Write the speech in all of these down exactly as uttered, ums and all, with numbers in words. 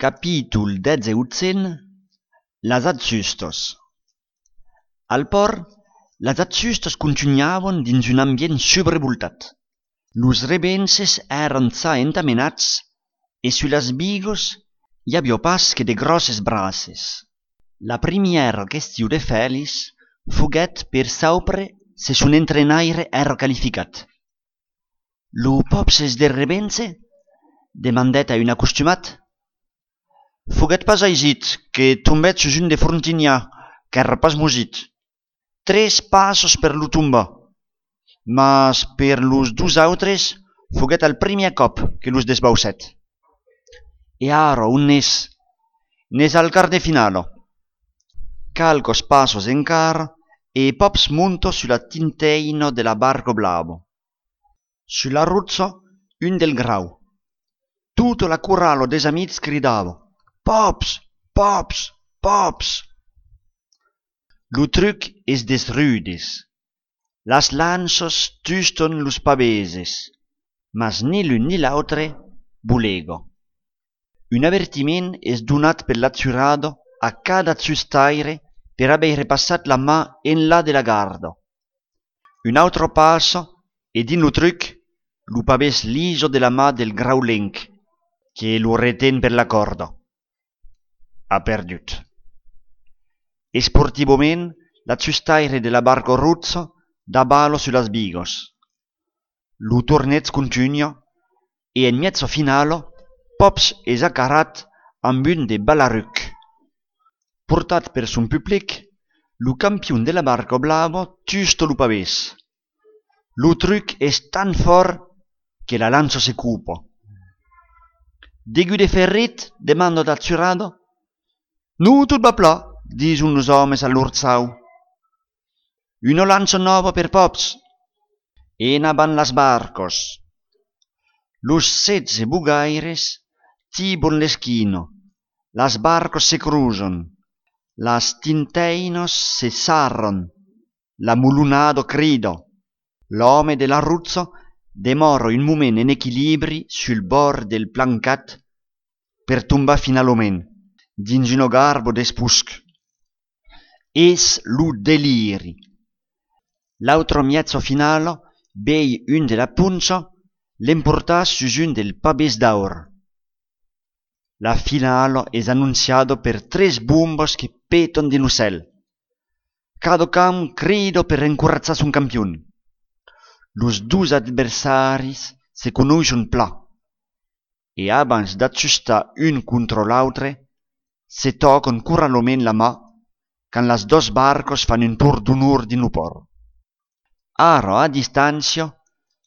Capítol dètze Las adsustos. Al port, las adsustos continuaven dins un ambient sobrevoltat. Los rebenses eren ça entamenats e sulas bigos hi havia pas que de grosses braces. La primièra question de Félix foguèt per saupre se son entrenaire era qualificat. Lo popses de rebense? Demandèt a un acostumat. Foguèt pas aisit que tombèt sus un de Frontignac, qu'ère pas mosit. Tres passos per lo tombar, mas per los dus autres foguèt al primièr cop que los desbausèt. E ara on n'és? N'és al quart de finalo. Calcos passos encara e Pops monto sulla tinteino de la barco blavo. Sulla ruzzo un del grau. Tutto la curralo des amics cridava: Pops, Pops, Pops. Lo truc es des rudes. Las lanzos tuston los paveses, mas ni l'un ni l'autre bulego. Un avertiment es donat per l'atzurado a cada zustaire per haver passat la mà en là de la garda. Un altro passo e din lo truc lo pavés liso de la mà del graulenc, che lo reten per la corda. Ha perdut. E sportivament, la zustaire de la barco ruzzo da balo sulas bigos. Lo tornez continua e en mezzo finalo Pops es acarat amb un de balaruc. Portat per son public, lo campion de la barco blavo tusto lo pavés. Lo truc es tan fort que la lanzo se cupo. Degu de ferrit, demando d'atzurado. Nu, tot va pla, dison los homes all'urzau. Uno lanzo novo per Pops. En aban las barcos. Los setze bugaires tibon l'esquino. Las barcos se cruzan. Las tinteinos se sarran. La mulunado crido. L'home de la ruzzo demora un moment en equilibri sul bord del plancat per tombar finalment dins un garbo d'espusc. Es lo deliri. L'altro miezzo finalo bei un de la punza l'emportà sus un del pavés d'aur. La finalo es annunciado per tres bombos que peton din lo cel. Cada cam crido per encorazzar son campion. Los dus adversaris se conoscen pla, e abans d'ajustar un contra l'altre, se toquen curralment la mà quand las dos barcos fan un tour d'honor din lo port. Ara a distància,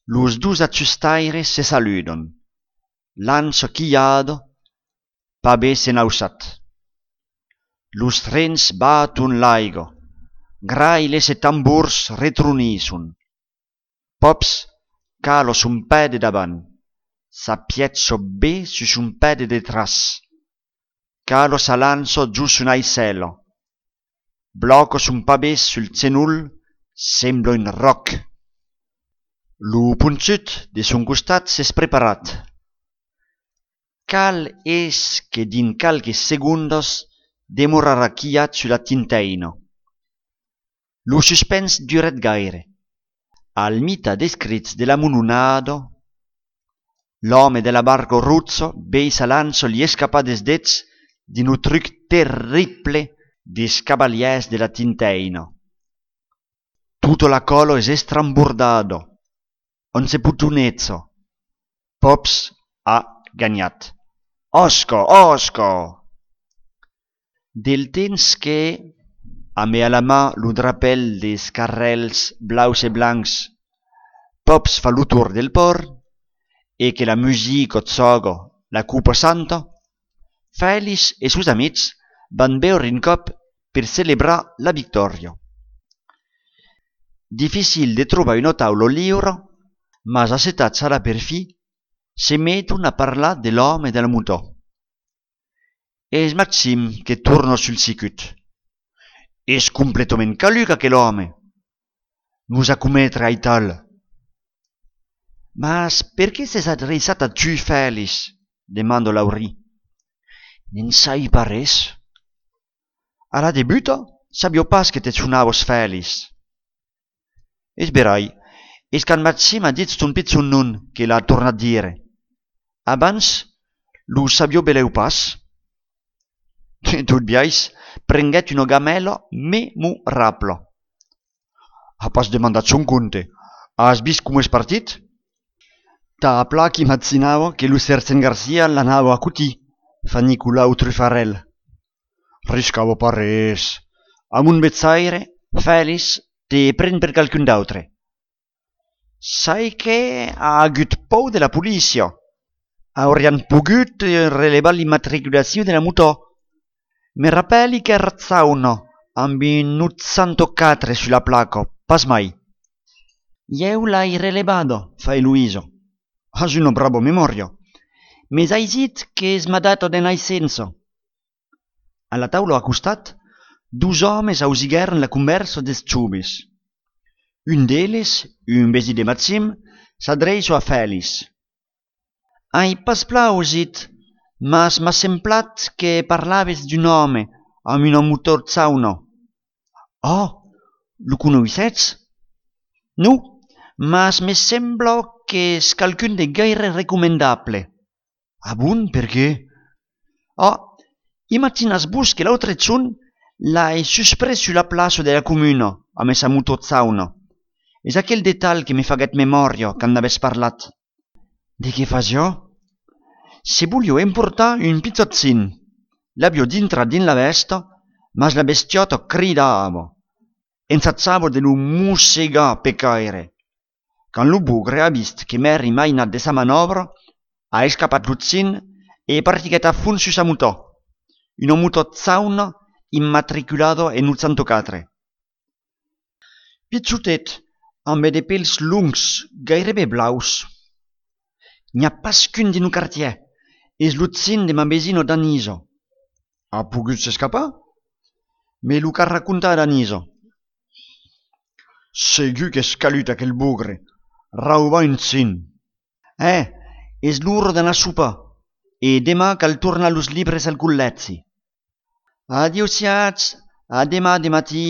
los dus ajustaires se saludan. Lanzo quillado, pavés enausat. Los trens baton l'aigo, grailes e tamburs retrunison. Pops calo son pede davant, s'appiezzo bé su son pede detras. Calo s'alanzo giù su un cielo. Blocco son pavés sul zenul, sembla un roc. Lo punzut de son costat s'es preparat. Cal es que din calques segundos demorarà quillat sulla tinteino. Lo suspens duret gaire. Al mita descrits de la mulunado, l'home de la barco ruzzo bei s'alanzo li escapà des dets din un truc terrible des cavaliers de la tinteino. Tutto la colo es estrambordado, on se putunezzo. Pops ha gagnat. Osco, osco! Del temps que, a me a la mà lo drapel des carrels blaus e blancs, Pops fa lo tour del port, e que la musica zoga la cupa santa, Félix e sus amics van beure un cop per celebrar la victòria. Difficil de trobar una taula lliure, mas assetats ara per fi, se meton a parlar de l'home de la moto. És Maxim que torna sul sicut. Es completament caluc aquel home. Nos a commetre ai tal. Mas per què s'es adreçat a tu, Félix? Demando Laurie. n'en sai pas res. A la debuta sabio pas que te sonavos feliç. Es berai, es qu'en Matxi m'ha dit ton pizzon nun que l'ha tornat dire. Abans, lo sabio beleu pas. Tot biais, prenguet una gamela memorable. Ha pas demandat son compte. Has vist com és partit? Ta pla qui m'atzinava que lo Sersen Garcia l'anava a cutir, fa Nicolau Trufarel. Riscavo pas res. Amb un bezzaire, feliç, te pren per qualcun d'autre. Sai que ha agut pou de la policia. Aurian pogut relevar l'immatriculació de la moto. Me rappelli che razzauno, amb un ottantaquattro sulla placa, pas mai. Io l'hai relevato, fa Eloiso. Has una brava memoria. Me hai dit que es m'ha dato de naissença. A la taula a costat, dos homes ausigueren la conversa des xubis. Un d'elles, un vesi de Maxim, s'adreça a Félix. Ai pas plausit, mas m'ha semblat que parlaves d'un home amb una motorzauna. Oh, lo conoissets? No, mas me sembla que és qualcun de gaire recomendable. Ah bon, per què? Oh, imaginas-vos que l'altre giorn l'hai suspres sulla plaça de la comuna amb esa motorzauna. És aquell detall que me faguet memòria quan n'haves parlat. De què fas jo? Se voglio emportar un pizzazzin. L'abio dintra din la vesta, mas la bestiota cridava. Ensazzavo de lo mossegar pecaire. Quand lo bugre ha vist que m'eri mai anat de sa manovra, ha escapat l'uzzin e partiguet a fons su sa moto. Una motorzauna immatriculada en ottantaquattro. Pizzutet, amb de pèls lungs, gairebé blaus. N'hi ha pas qu'un din no quartier. És l'uzzin de ma vesino Daniso. Ha pogut s'escapar? Me lo ca raccontar Daniso. Segur que és calut aquell bugre. Rauva un zin. Eh, és l'ora d'anar a sopar. E demà cal tornar los libres al col·legi. Adiosiats, a demà de matí.